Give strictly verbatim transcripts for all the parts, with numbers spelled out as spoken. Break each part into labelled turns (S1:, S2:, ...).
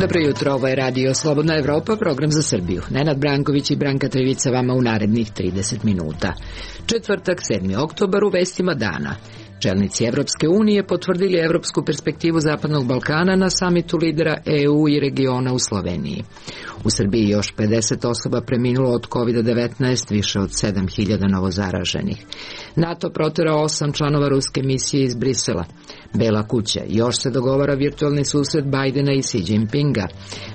S1: Dobro jutro, ovo je Radio Slobodna Evropa, program za Srbiju. Nenad Branković i Branka Trevica vama u narednih trideset minuta. Četvrtak, sedmi oktobar, u vestima dana. Čelnici Evropske unije potvrdili evropsku perspektivu Zapadnog Balkana na samitu lidera E U i regiona u Sloveniji. U Srbiji još pedeset osoba preminulo od kovid devetnaest, više od sedam hiljada novozaraženih. NATO proterao osam članova ruske misije iz Brisela. Bela kuća, još se dogovara virtualni susret Bajdena i Xi Jinpinga.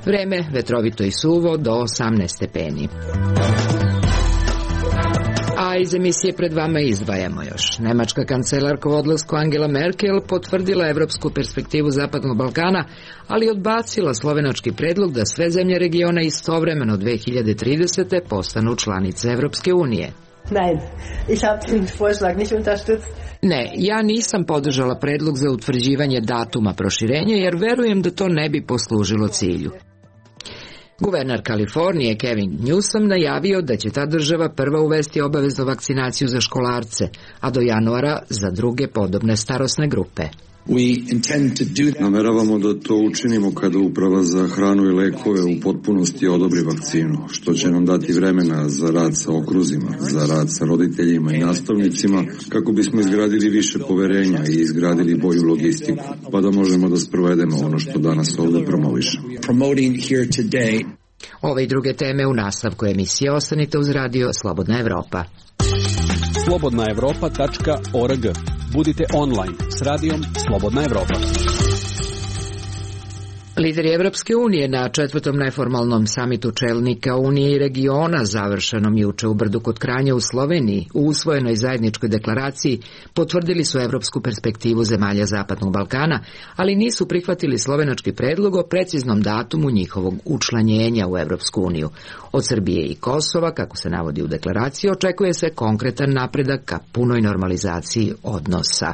S1: Vreme vetrovito i suvo do osamnaest stepeni. A iz emisije pred vama izdvajamo još. Nemačka kancelarka u odlasku Angela Merkel potvrdila evropsku perspektivu Zapadnog Balkana, ali odbacila slovenački predlog da sve zemlje regiona istovremeno dve hiljade tridesete postanu članice Evropske unije.
S2: Nein, ich habe den Vorschlag nicht unterstützt.
S1: Ne, ja nisam podržala predlog za utvrđivanje datuma proširenja jer verujem da to ne bi poslužilo cilju. Guverner Kalifornije Kevin Newsom najavio da će ta država prva uvesti obaveznu vakcinaciju za školarce, a do januara za druge podobne starosne grupe.
S3: Nameravamo da to učinimo kada Uprava za hranu i lekove u potpunosti odobri vakcinu, što će nam dati vremena za rad sa okruzima, za rad sa roditeljima i nastavnicima, kako bismo izgradili više poverenja i izgradili bolju logistiku, pa da možemo da sprovedemo ono što danas ovdje promovišemo.
S1: Ove i druge teme u nastavku emisije. Ostanite uz Radio Slobodna Evropa.
S4: slobodna evropa tačka org. Budite online s radijom Slobodna Evropa.
S1: Lideri Evropske unije na četvrtom neformalnom samitu čelnika Unije i regiona, završenom juče u Brdu kod Kranja u Sloveniji, u usvojenoj zajedničkoj deklaraciji potvrdili su evropsku perspektivu zemalja Zapadnog Balkana, ali nisu prihvatili slovenački predlog o preciznom datumu njihovog učlanjenja u Evropsku uniju. Od Srbije i Kosova, kako se navodi u deklaraciji, očekuje se konkretan napredak ka punoj normalizaciji odnosa.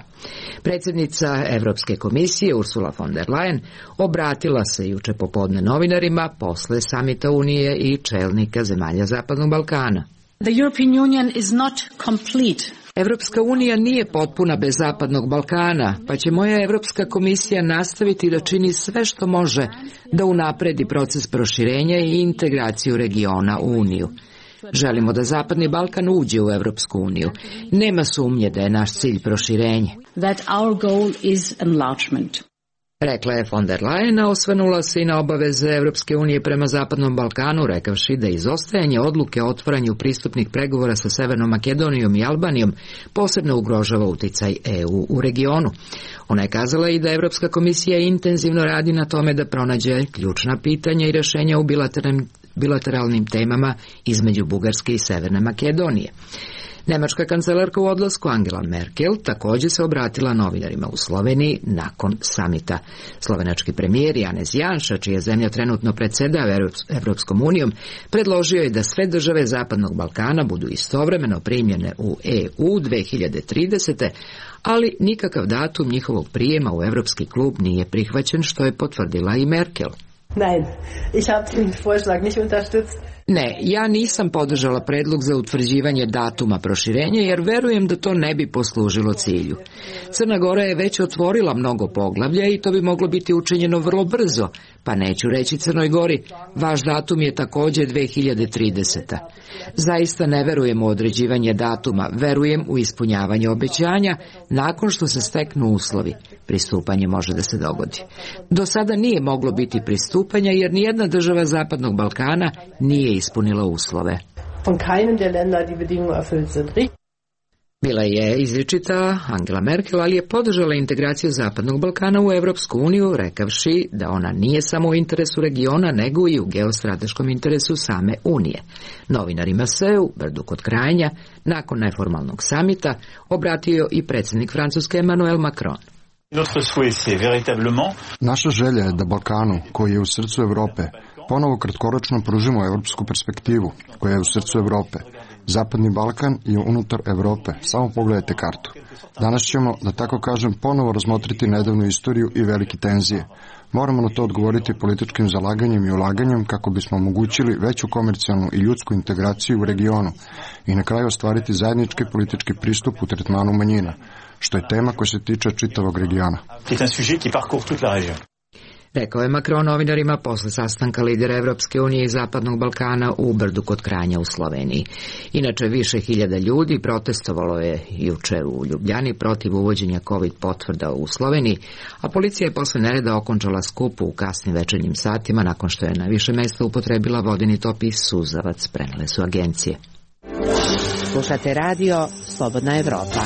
S1: Predsjednica Evropske komisije Ursula von der Leyen obratila se juče popodne novinarima posle samita Unije i čelnika zemalja Zapadnog Balkana.
S5: The European Union is not complete.
S1: Evropska unija nije potpuna bez Zapadnog Balkana, pa će moja Evropska komisija nastaviti da čini sve što može da unapredi proces proširenja i integraciju regiona u Uniju. Želimo da Zapadni Balkan uđe u Evropsku uniju. Nema sumnje da je naš cilj proširenje.
S5: That our goal is enlargement.
S1: Rekla je von der Leyen, a osvrnula se i na obaveze Evropske unije prema Zapadnom Balkanu, rekavši da izostajanje odluke o otvaranju pristupnih pregovora sa Severnom Makedonijom i Albanijom posebno ugrožava uticaj E U u regionu. Ona je kazala i da Evropska komisija intenzivno radi na tome da pronađe ključna pitanja i rješenja u bilateralnim, bilateralnim temama između Bugarske i Severne Makedonije. Nemačka kancelarka u odlasku Angela Merkel također se obratila novinarima u Sloveniji nakon samita. Slovenački premijer Janez Janša, čija zemlja trenutno predsjedava Evropskom unijom, predložio je da sve države Zapadnog Balkana budu istovremeno primljene u E U dve hiljade tridesete, ali nikakav datum njihovog prijema u Evropski klub nije prihvaćen, što je potvrdila i Merkel.
S2: Nein, ich habe den Vorschlag nicht unterstützt.
S1: Ne, ja nisam podržala predlog za utvrđivanje datuma proširenja jer verujem da to ne bi poslužilo cilju. Crna Gora je već otvorila mnogo poglavlja i to bi moglo biti učinjeno vrlo brzo, pa neću reći Crnoj Gori, vaš datum je također dve hiljade trideseta. Zaista ne verujem u određivanje datuma, verujem u ispunjavanje obećanja nakon što se steknu uslovi. Pristupanje može da se dogodi. Do sada nije moglo biti pristupanja jer nijedna država Zapadnog Balkana nije ispunila uslove.
S2: Von keinem der Länder die Bedingungen erfüllt sind.
S1: Bila je izričita Angela Merkel, ali je podržala integraciju Zapadnog Balkana u Evropsku uniju, rekavši da ona nije samo u interesu regiona, nego i u geostrateškom interesu same Unije. Novinarima se u Brdu kod Kranja, nakon neformalnog samita, obratio i predsjednik Francuske Emmanuel Macron.
S6: Naša želja je da Balkanu, koji je u srcu Evrope, ponovo kratkoročno pružimo evropsku perspektivu, koja je u srcu Evrope. Zapadni Balkan je unutar Evrope. Samo pogledajte kartu. Danas ćemo, da tako kažem, ponovo razmotriti nedavnu istoriju i velike tenzije. Moramo na to odgovoriti političkim zalaganjem i ulaganjem kako bismo omogućili veću komercijalnu i ljudsku integraciju u regionu i na kraju ostvariti zajednički politički pristup u tretmanu manjina, što je tema koja se tiče čitavog regiona.
S1: Rekao je Macron novinarima posle sastanka lidera Evropske unije i Zapadnog Balkana u Brdu kod Kranja u Sloveniji. Inače, više hiljada ljudi protestovalo je juče u Ljubljani protiv uvođenja COVID potvrda u Sloveniji, a policija je posle nereda okončala skup u kasnim večernjim satima nakon što je na više mesta upotrebila vodeni top i suzavac, prenele su agencije.
S7: Slušate radio Slobodna Evropa.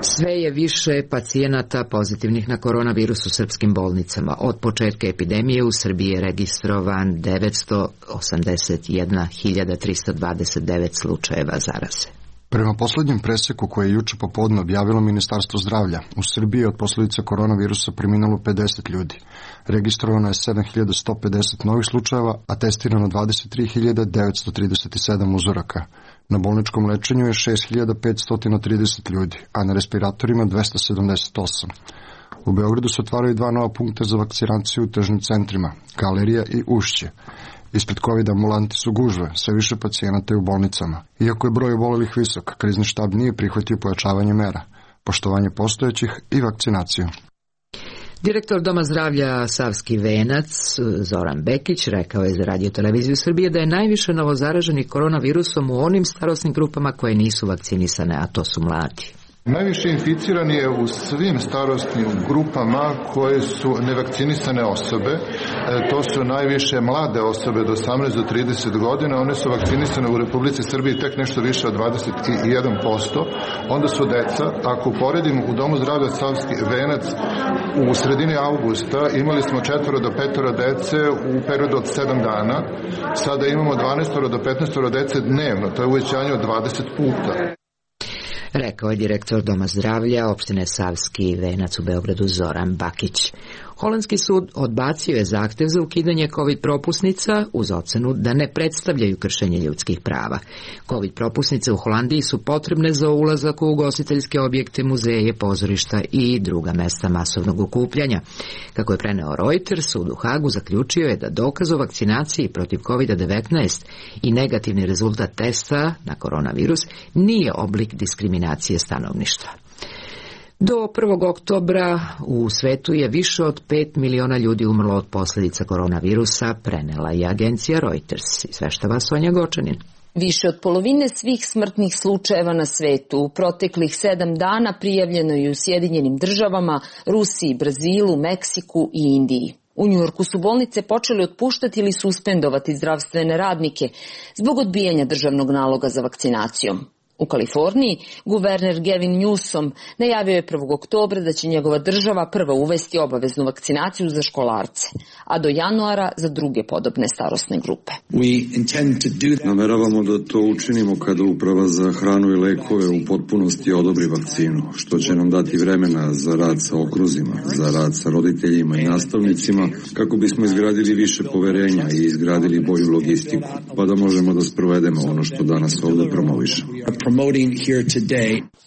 S1: Sve je više pacijenata pozitivnih na koronavirus u srpskim bolnicama. Od početka epidemije u Srbiji je registrovan devetsto osamdeset jedna hiljada trista dvadeset devet slučajeva zaraze.
S6: Prema poslednjem preseku koje je juče popodne objavilo Ministarstvo zdravlja, u Srbiji je od posledica koronavirusa preminulo pedeset ljudi. Registrovano je sedam hiljada sto pedeset novih slučajeva, a testirano dvadeset tri hiljade devetsto trideset sedam uzoraka. Na bolničkom lečenju je šest hiljada petsto trideset ljudi, a na respiratorima dvesta sedamdeset osam. U Beogradu se otvaraju dva nova punkta za vakcinaciju u tržnim centrima, Galerija i Ušće. Ispred COVID ambulanti su gužve, sve više pacijenata je u bolnicama. Iako je broj obolelih visok, krizni štab nije prihvatio pojačavanje mera, poštovanje postojećih i vakcinaciju.
S1: Direktor Doma zdravlja Savski venac Zoran Bekić rekao je za Radio televiziju Srbije da je najviše novozaraženih koronavirusom u onim starosnim grupama koje nisu vakcinisane, a to su mladi.
S8: Najviše inficirani je u svim starosnim grupama koje su nevakcinisane osobe. E, to su najviše mlade osobe do osamnaest do trideset godina. One su vakcinisane u Republici Srbiji tek nešto više od dvadeset jedan posto. Onda su deca. Ako poredimo u Domu zdravlja Savski venac u sredini avgusta imali smo četvoro do petoro dece u periodu od sedam dana. Sada imamo dvanaest do petnaest dece dnevno. To je uvećanje od dvadeset puta.
S1: Rekao je direktor Doma zdravlja opštine Savski venac u Beogradu Zoran Bakić. Holandski sud odbacio je zahtev za ukidanje COVID propusnica uz ocenu da ne predstavljaju kršenje ljudskih prava. COVID propusnice u Holandiji su potrebne za ulazak u ugostiteljske objekte, muzeje, pozorišta i druga mesta masovnog okupljanja. Kako je preneo Reuters, sud u Hagu zaključio je da dokaz o vakcinaciji protiv COVID devetnaest i negativni rezultat testa na koronavirus nije oblik diskriminacije stanovništva. Do prvog oktobra u svetu je više od pet miliona ljudi umrlo od posljedica koronavirusa, prenela je agencija Reuters. Izveštava Sonja Gočanin.
S9: Više od polovine svih smrtnih slučajeva na svetu u proteklih sedam dana prijavljeno je u Sjedinjenim državama, Rusiji, Brazilu, Meksiku i Indiji. U Njujorku su bolnice počeli otpuštati ili suspendovati zdravstvene radnike zbog odbijanja državnog naloga za vakcinacijom. U Kaliforniji guverner Gavin Newsom najavio je prvog oktobra da će njegova država prva uvesti obaveznu vakcinaciju za školarce, a do januara za druge podobne starosne grupe.
S3: Nameravamo da to učinimo kada Uprava za hranu i lekove u potpunosti odobri vakcinu, što će nam dati vremena za rad sa okruzima, za rad sa roditeljima i nastavnicima, kako bismo izgradili više poverenja i izgradili bolju logistiku, pa da možemo da sprovedemo ono što danas ovde promovišemo.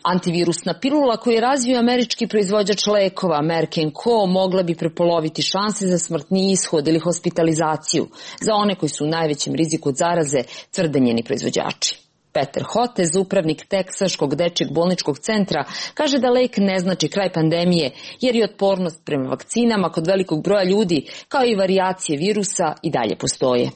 S9: Antivirusna pilula koju je razvio američki proizvođač lekova Merck and Co. mogla bi prepoloviti šanse za smrtni ishod ili hospitalizaciju za one koji su u najvećem riziku od zaraze, tvrde njeni proizvođači. Peter Hotez, upravnik Teksaškog dečjeg bolničkog centra, kaže da lek ne znači kraj pandemije, jer je otpornost prema vakcinama kod velikog broja ljudi, kao i varijacije virusa, i dalje postoje.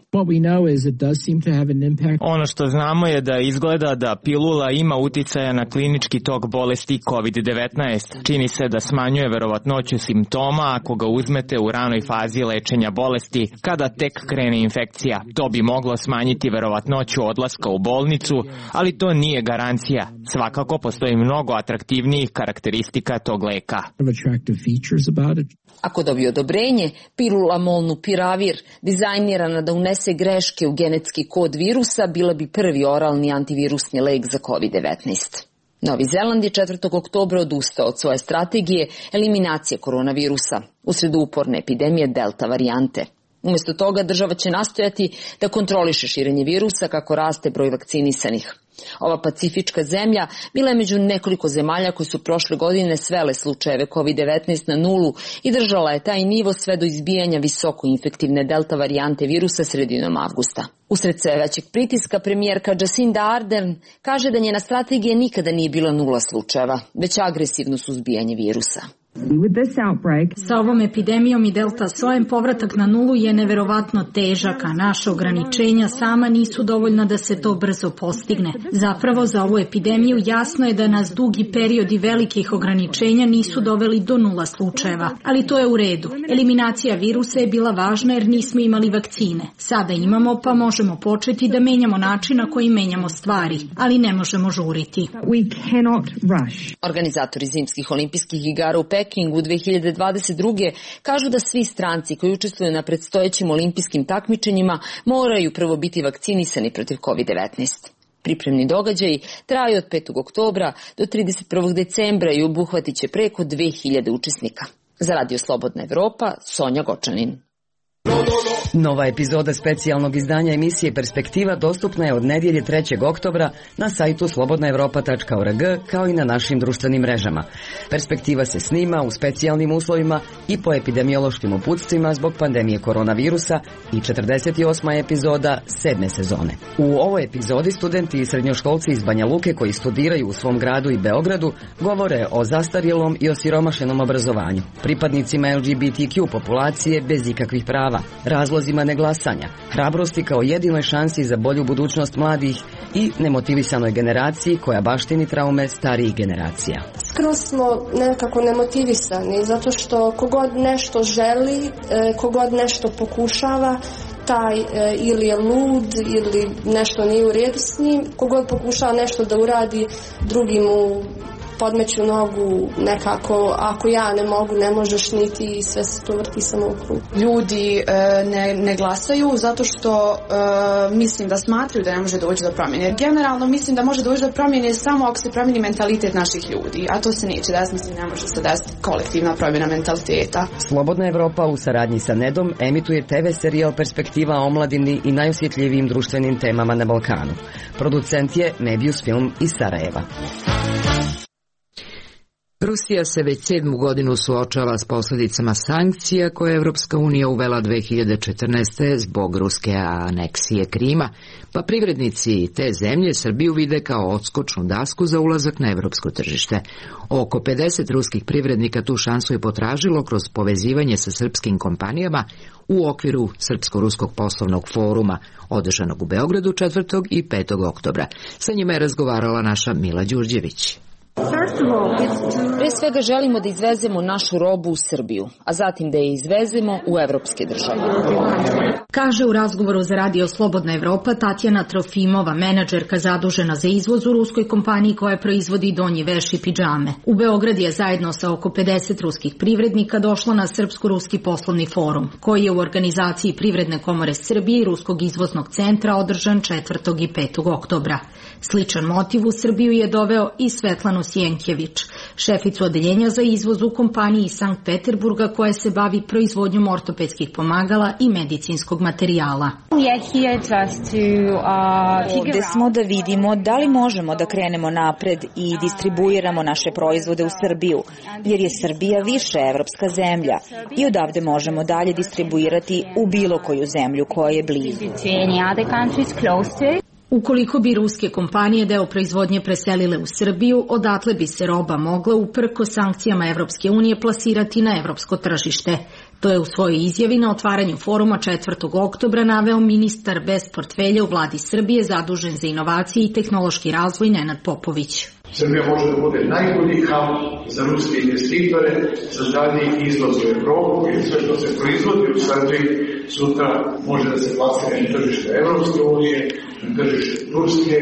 S10: Ono što znamo je da izgleda da pilula ima uticaja na klinički tok bolesti COVID devetnaest. Čini se da smanjuje verovatnoću simptoma ako ga uzmete u ranoj fazi lečenja bolesti, kada tek krene infekcija. To bi moglo smanjiti verovatnoću odlaska u bolnicu, ali to nije garancija. Svakako postoji mnogo atraktivnijih karakteristika tog leka.
S9: Ako dobije odobrenje, pilula molnupiravir, dizajnirana da unese greške u genetski kod virusa, bila bi prvi oralni antivirusni lek za COVID devetnaest. Novi Zeland je četvrtog oktobra odustao od svoje strategije eliminacije koronavirusa usred uporne epidemije delta varijante. Umjesto toga država će nastojati da kontroliše širenje virusa kako raste broj vakcinisanih. Ova pacifička zemlja bila je među nekoliko zemalja koje su prošle godine svele slučajeve kovid devetnaest na nulu i držala je taj nivo sve do izbijanja visoko infektivne delta varijante virusa sredinom avgusta. Usred sve većeg pritiska premijerka Jacinda Ardern kaže da njena strategija nikada nije bila nula slučajeva, već agresivno suzbijanje virusa.
S11: Sa ovom epidemijom i delta sojem povratak na nulu je neverovatno težak, a naša ograničenja sama nisu dovoljna da se to brzo postigne. Zapravo za ovu epidemiju jasno je da nas dugi periodi velikih ograničenja nisu doveli do nula slučajeva, ali to je u redu. Eliminacija virusa je bila važna jer nismo imali vakcine. Sada imamo, pa možemo početi da menjamo način na koji menjamo stvari, ali ne možemo žuriti.
S9: Organizatori zimskih olimpijskih igara u Pekingu u dve hiljade dvadeset druge kažu da svi stranci koji učestvuju na predstojećim olimpijskim takmičenjima moraju prvo biti vakcinisani protiv kovid devetnaest. Pripremni događaji traju od petog oktobra do trideset prvog decembra i obuhvatit će preko dve hiljade učesnika. Za Radio Slobodna Evropa, Sonja Gočanin.
S12: Nova epizoda specijalnog izdanja emisije Perspektiva dostupna je od nedjelje trećeg oktobra na sajtu slobodna evropa tačka org kao i na našim društvenim mrežama. Perspektiva se snima u specijalnim uslovima i po epidemiološkim uputstvima zbog pandemije koronavirusa i četrdeset osma epizoda sedme sezone. U ovoj epizodi studenti i srednjoškolci iz Banja Luke koji studiraju u svom gradu i Beogradu govore o zastarjelom i osiromašenom obrazovanju, pripadnicima el ge be te kju populacije bez ikakvih prava, razlozima neglasanja, hrabrosti kao jedinoj šansi za bolju budućnost mladih i nemotivisanoj generaciji koja baštini traume starijih generacija.
S13: Skroz smo nekako nemotivisani zato što kogod nešto želi, kogod nešto pokušava, taj ili je lud ili nešto nije u redu s njim, kogod pokušava nešto da uradi, drugi mu podmeću nogu nekako, ako ja ne mogu, ne možeš niti i sve se to vrti samo u krug.
S14: Ljudi e, ne, ne glasaju zato što e, mislim da smatraju da ne može doći do promjene. Generalno mislim da može doći do promjene samo ako se promijeni mentalitet naših ljudi, a to se neće desiti, mislim ne može se desiti kolektivna promjena mentaliteta.
S12: Slobodna Evropa u saradnji sa Nedom emituje te ve serijal Perspektiva o omladini i najosjetljivijim društvenim temama na Balkanu. Producent je Mebius Film iz Sarajeva.
S1: Rusija se već sedmu godinu suočava s posljedicama sankcija koje je Evropska unija uvela dve hiljade četrnaeste. zbog ruske aneksije Krima, pa privrednici te zemlje Srbiju vide kao odskočnu dasku za ulazak na evropsko tržište. Oko pedeset ruskih privrednika tu šansu je potražilo kroz povezivanje sa srpskim kompanijama u okviru Srpsko-ruskog poslovnog foruma, održanog u Beogradu četvrtog i petog oktobra. Sa njima je razgovarala naša Mila Đurđević.
S9: Pre svega želimo da izvezemo našu robu u Srbiju, a zatim da je izvezemo u evropske države.
S11: Kaže u razgovoru za Radio Slobodna Evropa Tatjana Trofimova, menadžerka zadužena za izvoz u ruskoj kompaniji koja proizvodi donji veš i pidžame. U Beograd je zajedno sa oko pedeset ruskih privrednika došla na Srpsko-ruski poslovni forum, koji je u organizaciji Privredne komore Srbije i Ruskog izvoznog centra održan četvrtog i petog oktobra. Sličan motiv u Srbiju je doveo i Svetlanu Sjenkjević, šeficu odeljenja za izvoz u kompaniji iz Sankt Peterburga koja se bavi proizvodnjom ortopedskih pomagala i medicinskog materijala.
S15: Ovdje smo da vidimo da li možemo da krenemo napred i distribuiramo naše proizvode u Srbiju, jer je Srbija više evropska zemlja i odavde možemo dalje distribuirati u bilo koju zemlju koja je blizu.
S11: Ukoliko bi ruske kompanije deo proizvodnje preselile u Srbiju, odatle bi se roba mogla uprko sankcijama Evropske unije plasirati na evropsko tržište. To je u svojoj izjavi na otvaranju foruma četvrtog oktobra naveo ministar bez portfelja u vladi Srbije zadužen za inovacije i tehnološki razvoj Nenad Popović.
S16: Srbija može da bude najbolji hub za ruske investitore, za dalji izvoz u Evropu i sve što se proizvodi u Srbiji sutra može da se plasira na tržište Evropske unije, na tržište Turske,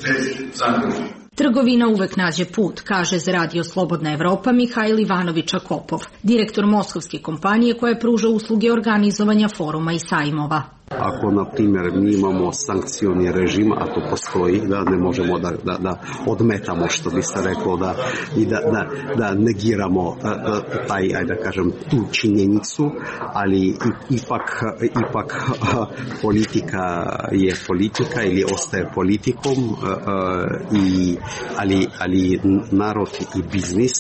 S16: bez zagrade.
S11: Trgovina uvek nađe put, kaže za Radio Slobodna Evropa Mihajl Ivanović-Akopov, direktor moskovske kompanije koja pruža usluge organizovanja foruma i sajmova.
S17: Ako, na primjer, mi imamo sankcioni režim, a to postoji, da ne možemo da, da, da odmetamo, što bi se reklo, da, i da, da, da negiramo taj, ajde da kažem, tu činjenicu, ali ipak, ipak politika je politika ili ostaje politikom, i, ali, ali narod i biznis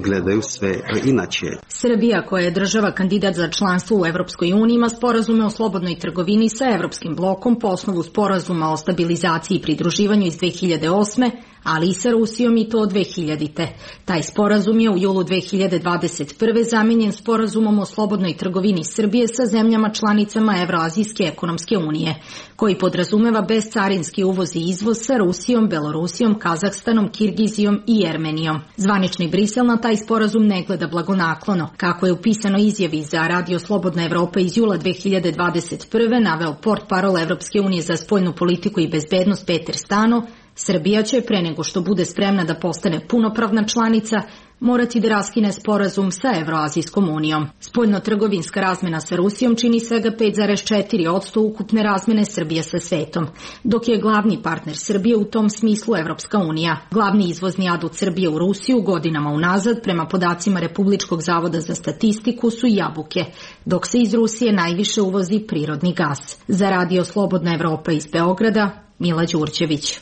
S17: gledaju sve inače.
S11: Srbija, koja je država kandidat za članstvo u Evropskoj uniji, ima sporazume o slobodnoj trgovini trgovini sa Evropskim blokom po osnovu sporazuma o stabilizaciji i pridruživanju iz dve hiljade osme, ali i sa Rusijom i to od dve hiljadite. Taj sporazum je u julu dve hiljade dvadeset prve zamenjen sporazumom o slobodnoj trgovini Srbije sa zemljama članicama Evroazijske ekonomske unije, koji podrazumeva bezcarinski uvoz i izvoz sa Rusijom, Belorusijom, Kazahstanom, Kirgizijom i Jermenijom. Zvanični Brisel na taj sporazum ne gleda blagonaklono. Kako je u pisanoj izjavi za Radio Slobodna Evropa iz jula dve hiljade dvadeset prve naveo portparol Evropske unije za spoljnu politiku i bezbednost Peter Stano, Srbija će, pre nego što bude spremna da postane punopravna članica, morati da raskine sporazum sa Evroazijskom unijom. Spoljno-trgovinska razmena sa Rusijom čini svega pet zarez četiri posto ukupne razmene Srbije sa svetom, dok je glavni partner Srbije u tom smislu Evropska unija. Glavni izvozni adut Srbije u Rusiju godinama unazad, prema podacima Republičkog zavoda za statistiku, su jabuke, dok se iz Rusije najviše uvozi prirodni gas. Za Radio Slobodna Evropa iz Beograda, Mila Đurđević.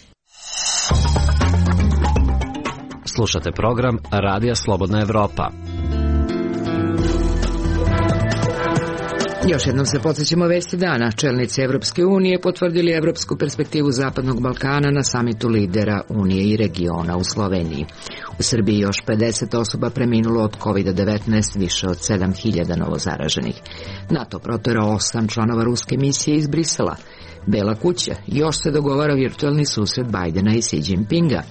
S18: Slušate program Radija Slobodna Evropa.
S1: Još jednom se podsjećamo vesti dana. Čelnici Evropske unije potvrdili evropsku perspektivu Zapadnog Balkana na samitu lidera Unije i regiona u Sloveniji. U Srbiji još pedeset osoba preminulo od kovid devetnaest, više od sedam hiljada novozaraženih. NATO proterao osam članova ruske misije iz Brisela. Bela kuća još se dogovara virtualni susret Bajdena i Xi Jinpinga.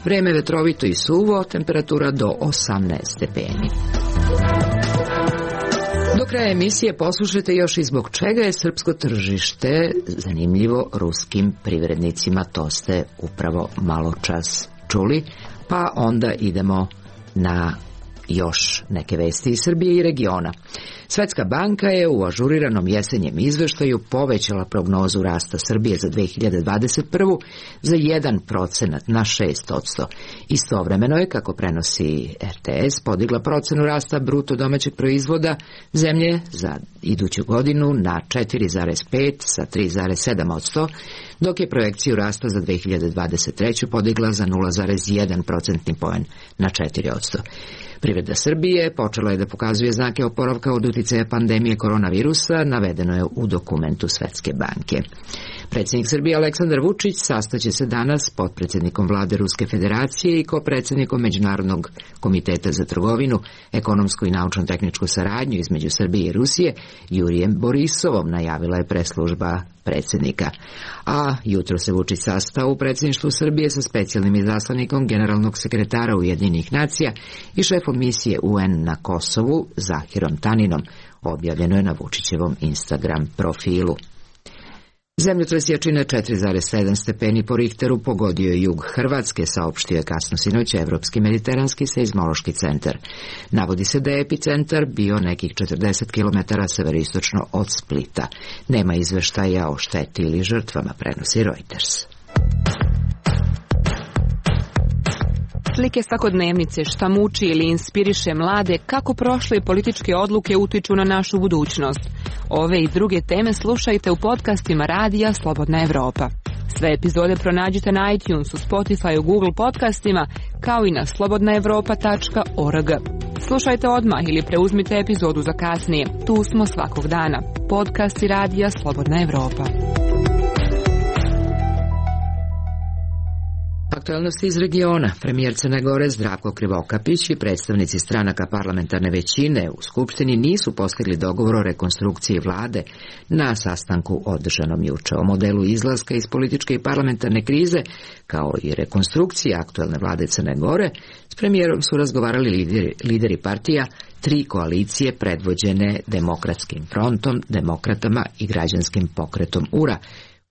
S1: Vreme vetrovito i suvo, temperatura do osamnaest stepeni. Do kraja emisije poslušajte još i zbog čega je srpsko tržište zanimljivo ruskim privrednicima. To ste upravo malo čas čuli, pa onda idemo na još neke vesti iz Srbije i regiona. Svetska banka je u ažuriranom jesenjem izveštaju povećala prognozu rasta Srbije za dve hiljade dvadeset prvu za jedan procenat na šest posto. Istovremeno je, kako prenosi er te es, podigla procenu rasta bruto domaćeg proizvoda zemlje za iduću godinu na četiri zarez pet sa tri zarez sedam posto, dok je projekciju rasta za dve hiljade dvadeset treću podigla za nula zarez jedan procentni poen na četiri posto. Privreda Srbije počela je da pokazuje znake oporavka od uticaja pandemije koronavirusa, navedeno je u dokumentu Svetske banke. Predsjednik Srbije Aleksandar Vučić sastaće se danas s potpredsjednikom vlade Ruske federacije i kopredsjednikom Međunarodnog komiteta za trgovinu, ekonomsku i naučno-tehničku saradnju između Srbije i Rusije, Jurijem Borisovom, najavila je preslužba predsjednika. A jutro se Vučić sastao u predsjedništvu Srbije sa specijalnim izaslanikom generalnog sekretara Ujedinjenih nacija i šefom misije u en na Kosovu, Zahirom Taninom, objavljeno je na Vučićevom Instagram profilu. Zemljotres jačine četiri zarez sedam stepeni po Richteru pogodio je jug Hrvatske, saopštio je kasno sinoć Evropski mediteranski seizmološki centar. Navodi se da je epicentar bio nekih četrdeset kilometara severistočno od Splita. Nema izveštaja o šteti ili žrtvama, prenosi Reuters.
S19: Slike svakodnevnice, šta muči ili inspiriše mlade, kako prošle političke odluke utiču na našu budućnost. Ove i druge teme slušajte u podcastima Radija Slobodna Evropa. Sve epizode pronađite na iTunesu, Spotifyu, Google podcastima, kao i na slobodna evropa tačka org. Slušajte odmah ili preuzmite epizodu za kasnije. Tu smo svakog dana. Podcasti Radija Slobodna Evropa.
S1: Aktualnosti iz regiona. Premijer Crne Gore Zdravko Krivokapić i predstavnici stranaka parlamentarne većine u Skupštini nisu postigli dogovor o rekonstrukciji vlade na sastanku održanom juče. O modelu izlaska iz političke i parlamentarne krize, kao i rekonstrukcije aktualne vlade Crne Gore, s premijerom su razgovarali lideri, lideri partija tri koalicije predvođene Demokratskim frontom, Demokratama i Građanskim pokretom U R A,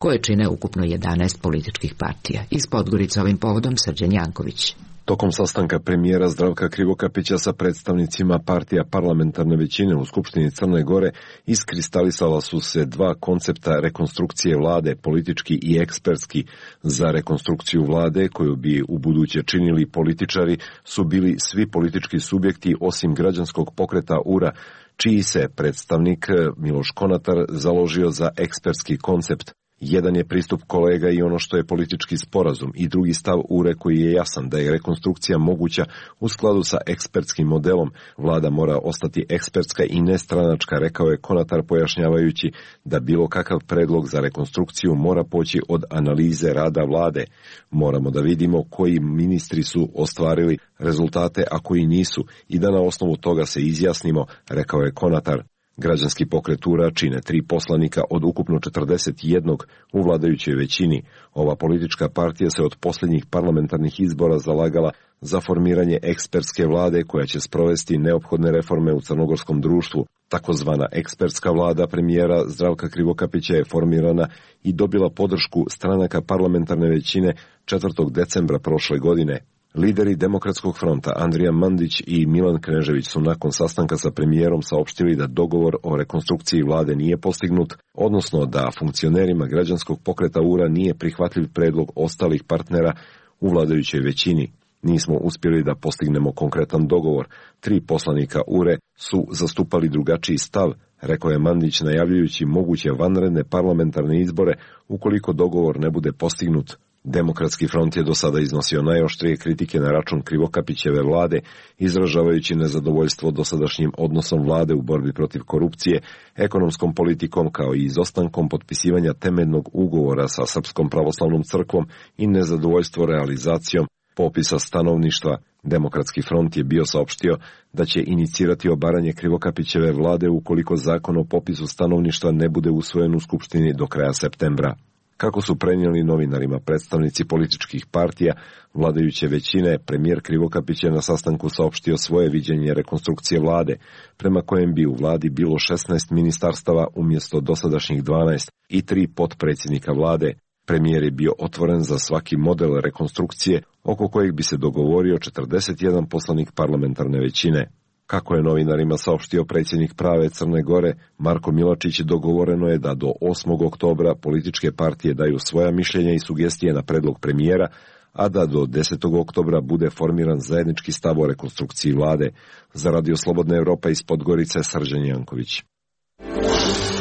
S1: koje čine ukupno jedanaest političkih partija. Iz Podgorice ovim povodom Srđan Janković.
S20: Tokom sastanka premijera Zdravka Krivokapića sa predstavnicima partija parlamentarne većine u Skupštini Crne Gore iskristalisala su se dva koncepta rekonstrukcije vlade, politički i ekspertski. Za rekonstrukciju vlade, koju bi u buduće činili političari, su bili svi politički subjekti osim građanskog pokreta U R A, čiji se predstavnik Miloš Konatar založio za ekspertski koncept. Jedan je pristup kolega i ono što je politički sporazum i drugi stav U R E koji je jasan da je rekonstrukcija moguća u skladu sa ekspertskim modelom. Vlada mora ostati ekspertska i nestranačka, rekao je Konatar pojašnjavajući da bilo kakav predlog za rekonstrukciju mora poći od analize rada vlade. Moramo da vidimo koji ministri su ostvarili rezultate, a koji nisu, i da na osnovu toga se izjasnimo, rekao je Konatar. Građanski pokret U R A čine tri poslanika od ukupno četrdeset jednog u vladajućoj većini. Ova politička partija se od posljednjih parlamentarnih izbora zalagala za formiranje ekspertske vlade koja će sprovesti neophodne reforme u crnogorskom društvu. Takozvana ekspertska vlada premijera Zdravka Krivokapića je formirana i dobila podršku stranaka parlamentarne većine četvrtog decembra prošle godine. Lideri Demokratskog fronta Andrija Mandić i Milan Knežević su nakon sastanka sa premijerom saopštili da dogovor o rekonstrukciji vlade nije postignut, odnosno da funkcionerima građanskog pokreta U R A nije prihvatljiv predlog ostalih partnera u vladajućoj većini. Nismo uspjeli da postignemo konkretan dogovor. Tri poslanika U R E su zastupali drugačiji stav, rekao je Mandić najavljujući moguće vanredne parlamentarne izbore ukoliko dogovor ne bude postignut. Demokratski front je do sada iznosio najoštrije kritike na račun Krivokapićeve vlade, izražavajući nezadovoljstvo dosadašnjim odnosom vlade u borbi protiv korupcije, ekonomskom politikom kao i izostankom potpisivanja temeljnog ugovora sa Srpskom pravoslavnom crkvom i nezadovoljstvo realizacijom popisa stanovništva. Demokratski front je bio saopštio da će inicirati obaranje Krivokapićeve vlade ukoliko zakon o popisu stanovništva ne bude usvojen u Skupštini do kraja septembra. Kako su prenijeli novinarima predstavnici političkih partija vladajuće većine, premijer Krivokapić je na sastanku saopštio svoje viđenje rekonstrukcije vlade, prema kojem bi u vladi bilo šesnaest ministarstava umjesto dosadašnjih dvanaest i tri potpredsjednika vlade. Premijer je bio otvoren za svaki model rekonstrukcije, oko kojeg bi se dogovorio četrdeset jedan poslanik parlamentarne većine. Kako je novinarima saopštio predsjednik Prave Crne Gore, Marko Milačić, dogovoreno je da do osmog oktobra političke partije daju svoja mišljenja i sugestije na predlog premijera, a da do desetog oktobra bude formiran zajednički stav o rekonstrukciji vlade. Za Radio Slobodna Evropa iz Podgorice, Srđan Janković.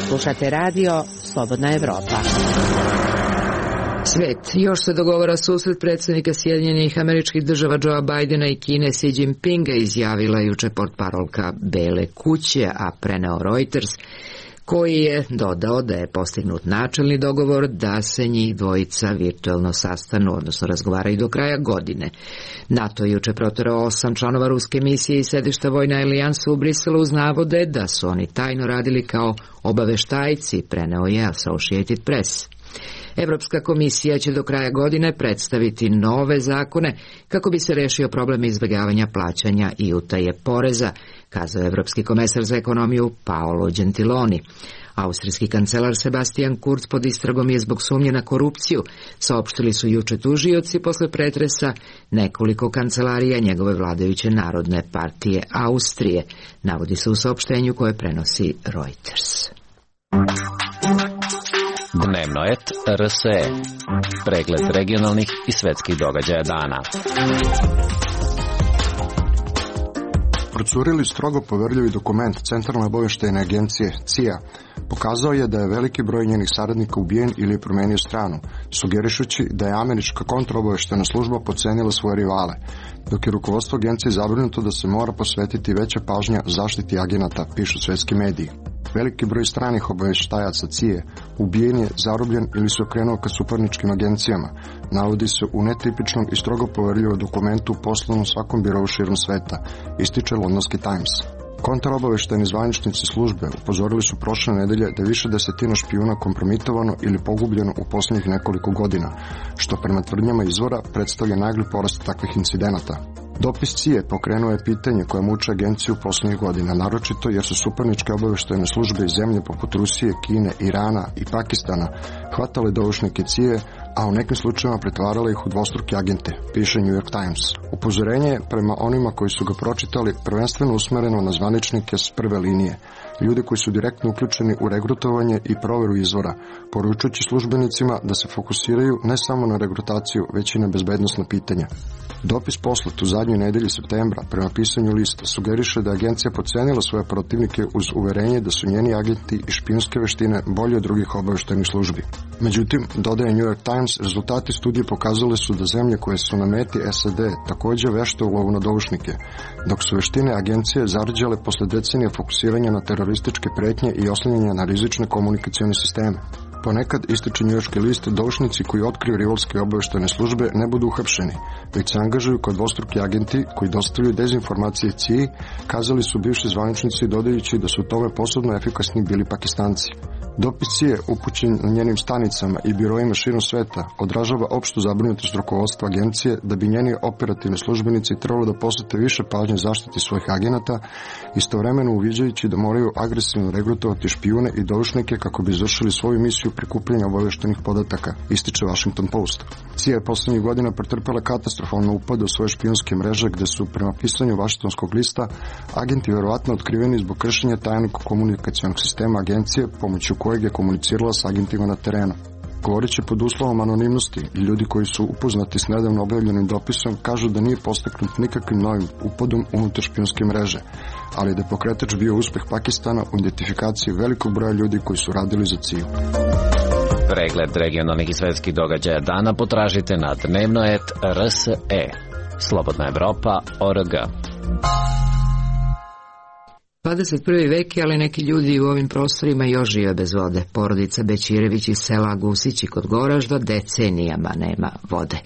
S7: Slušate radio Slobodna Evropa.
S1: Svet. Još se dogovara susret predsjednika Sjedinjenih Američkih Država Joea Bidena i Kine Xi Jinpinga, izjavila juče portparolka Bele kuće, a preneo Reuters, koji je dodao da je postignut načelni dogovor da se njih dvojica virtualno sastanu, odnosno razgovaraju do kraja godine. NATO je juče proterao osam članova ruske misije i sedišta Vojne alijanse u Briselu uz navode da su oni tajno radili kao obaveštajci, preneo je Associated Press. Evropska komisija će do kraja godine predstaviti nove zakone kako bi se rešio problem izbjegavanja plaćanja i utaje poreza, kazao evropski komesar za ekonomiju Paolo Gentiloni. Austrijski kancelar Sebastian Kurz pod istragom je zbog sumnje na korupciju, saopštili su juče tužioci posle pretresa nekoliko kancelarija njegove vladajuće Narodne partije Austrije, navodi se u saopštenju koje prenosi Reuters.
S18: Dnevno et R S E. Pregled regionalnih i svetskih događaja dana.
S6: Procurili strogo poverljivi dokument Centralne obavještajne agencije C I A pokazao je da je veliki broj njenih saradnika ubijen ili je promenio stranu, sugerišući da je američka kontraobavještajna služba podcenila svoje rivale, dok je rukovodstvo agencije zabrinuto da se mora posvetiti veća pažnja zaštiti agenata, pišu svetski mediji. Veliki broj stranih obavještajaca C I A ubijen je, zarobljen ili se okrenuo ka suparničkim agencijama, navodi se u netipičnom i strogo poverljivom dokumentu poslanom svakom birovu širom sveta, ističe Londonski Times. Kontraobavještajni zvaničnici službe upozorili su prošle nedelje da je više desetina špijuna kompromitovano ili pogubljeno u posljednjih nekoliko godina, što prema tvrdnjama izvora predstavlja nagli porast takvih incidenata. Dopis C I A pokrenuo je pitanje koje muče agenciju posljednjih godina, naročito jer su suparničke obavještajne službe iz zemlje poput Rusije, Kine, Irana i Pakistana hvatale doušnike C I A, a u nekim slučajevima pretvarale ih u dvostruke agente, piše New York Times. Upozorenje je prema onima koji su ga pročitali prvenstveno usmereno na zvaničnike s prve linije, ljude koji su direktno uključeni u regrutovanje i proveru izvora, poručujući službenicima da se fokusiraju ne samo na regrutaciju, već i na bezbednosna pitanja. Dopis poslat u zadnjoj nedelji septembra prema pisanju lista sugeriše da je agencija podcenila svoje protivnike uz uverenje da su njeni agenti i špijunske veštine bolje od drugih obaveštajnih službi. Međutim, dodaje New York Times, rezultati studije pokazale su da zemlje koje su na meti S A D također vešte u lovu na doušnike, dok su veštine agencije zarađale posle decenija fokusiranja na terorističke pretnje i oslanjanja na rizične komunikacione sisteme. Ponekad, ističe njujorški list, doušnici koji otkriju rivalske obaveštajne službe ne budu uhapšeni, već se angažuju kao dvostruki agenti koji dostavljaju dezinformacije C I A, kazali su bivši zvaničnici dodajući da su u tome posebno efikasni bili Pakistanci. Dopis C I A upućen na njenim stanicama i biroima širom sveta odražava opštu zabrinutost rukovodstva agencije da bi njeni operativni službenici trebalo da posvete više pažnje zaštiti svojih agenata, istovremeno uviđajući da moraju agresivno regrutovati špijune i doušnike kako bi izvršili svoju misiju prikupljanja obaveštenih podataka, ističe Washington Post. C I A je poslednjih godina pretrpela katastrofalno upade u svoje špijunske mreže gde su, prema pisanju Washingtonskog lista, agenti verovatno otkriveni zbog kršenja tajnog komunikacionog sistema agencije pomoću kojeg je komunicirala s agentima na terenu. Govoreći pod uslovom anonimnosti, ljudi koji su upoznati s nedavno objavljenim dopisom kažu da nije postaknut nikakvim novim upadom unutar špijunske mreže, ali da je pokretač bio uspeh Pakistana u identifikaciji velikog broja ljudi koji su radili za C I A.
S18: Pregled regionalnih i svetskih događaja dana potražite na dnevnoet R S E. Slobodna Evropa точка O R G.
S1: dvadeset prvi vek je, ali neki ljudi u ovim prostorima još žive bez vode. Porodica Bećirević iz sela Gusići kod Goražda decenijama nema vode.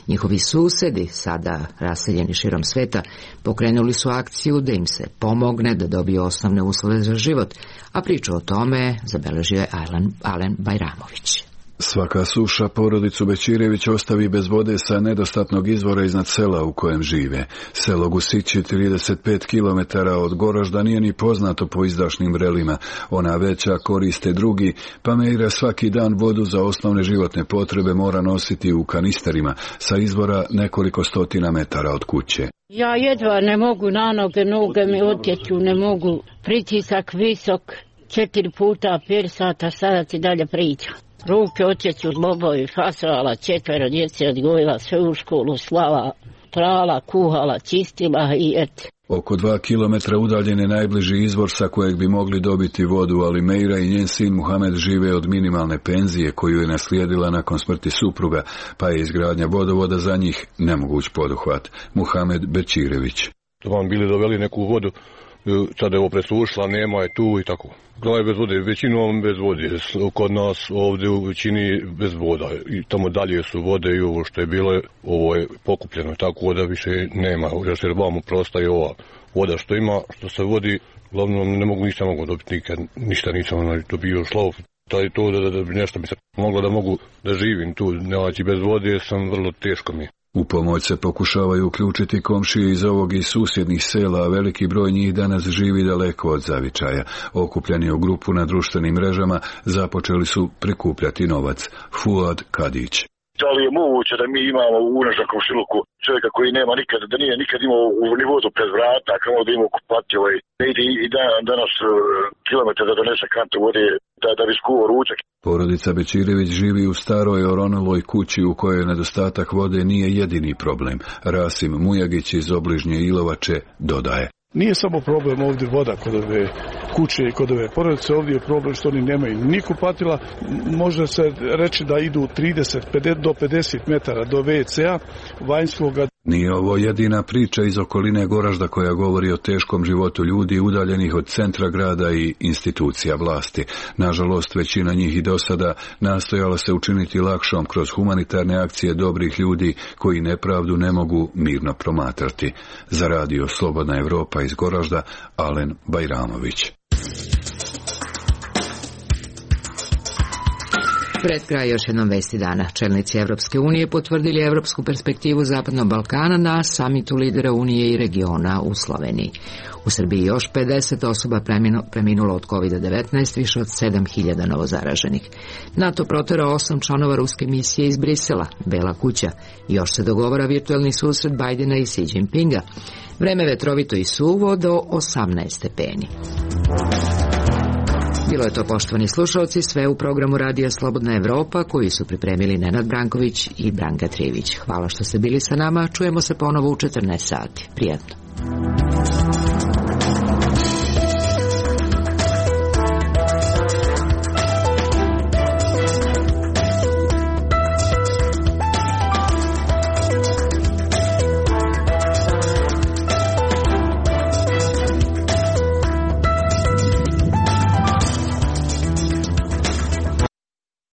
S1: Njihovi susedi, sada raseljeni širom sveta, pokrenuli su akciju da im se pomogne da dobiju osnovne uslove za život, a priču o tome zabeležio je Alen, Alen Bajramović.
S21: Svaka suša porodicu Bećirević ostavi bez vode sa nedostatnog izvora iznad sela u kojem žive. Selo Gusići, trideset pet kilometara od Goražda, nije ni poznato po izdašnim vrelima. Ona veća koriste drugi, pa Mejra svaki dan vodu za osnovne životne potrebe mora nositi u kanisterima sa izvora nekoliko stotina metara od kuće.
S22: Ja jedva ne mogu na noge, noge mi otječu, ne mogu. Pritisak visok, četiri puta, pet sata, sada ti dalje priča. Ruke očeću zlobovi, fasala, četvero djece odgojila, sve u školu slala, prala, kuhala, čistila i et.
S21: Oko dva kilometra udaljen je najbliži izvor sa kojeg bi mogli dobiti vodu, ali Mejra i njen sin Muhamed žive od minimalne penzije koju je naslijedila nakon smrti supruga, pa je izgradnja vodovoda za njih nemoguć poduhvat. Muhamed Bećirević.
S23: Vam bili doveli neku vodu, sada je ovo presušila, nema je tu i tako. Glava bez vode, većinom bez vode, kod nas ovdje u većini bez voda i tamo dalje su vode i ovo što je bilo, ovo je pokupljeno, tako da više nema, još jer vamo prostaje ova voda što ima, što se vodi, glavno ne mogu ništa mogu dobiti nikad, ništa nisam dobio šlov, taj to da, da, da nešto bi se moglo da mogu da živim tu, nevaći bez vode sam vrlo teško mi.
S21: U pomoć se pokušavaju uključiti komšije iz ovog i susjednih sela, a veliki broj njih danas živi daleko od zavičaja. Okupljeni u grupu na društvenim mrežama započeli su prikupljati novac. Fuad Kadić.
S24: Da li je moguće da mi imamo u našem komšiluku čovjeka koji nema nikad, da nije nikad imao u nivodu pred vrata, kamo da ima kupati ovaj, ne ide i dan, danas kilometar da donese kantu vode, da, da bi skuo ručak.
S21: Porodica Bećirević živi u staroj oronuloj kući u kojoj nedostatak vode nije jedini problem. Rasim Mujagić iz obližnje Ilovače dodaje.
S25: Nije samo problem ovdje voda kod ove kuće i kod ove porodice, ovdje je problem što oni nemaju ni kupatila, može se reći da idu trideset do pedeset metara do ve ce a vanjskoga.
S21: Nije ovo jedina priča iz okoline Goražda koja govori o teškom životu ljudi udaljenih od centra grada i institucija vlasti. Nažalost, većina njih i do sada nastojala se učiniti lakšom kroz humanitarne akcije dobrih ljudi koji nepravdu ne mogu mirno promatrati. Za radio Slobodna Evropa iz Goražda, Alen Bajramović.
S1: Pred kraj još jednom vesti dana. Čelnici Evropske unije potvrdili evropsku perspektivu Zapadnog Balkana na samitu lidera Unije i regiona u Sloveniji. U Srbiji još pedeset osoba preminulo od kovid devetnaest, više od sedam hiljada novozaraženih. NATO proterao osam članova ruske misije iz Brisela, Bela kuća. Još se dogovara virtualni susret Bajdena i Xi Jinpinga. Vreme vetrovito i suvo do osamnaest stepeni. Bilo je to, poštovani slušalci, sve u programu Radija Slobodna Evropa koji su pripremili Nenad Branković i Branka Trivić. Hvala što ste bili sa nama, čujemo se ponovo u četrnaest sati. Prijatno.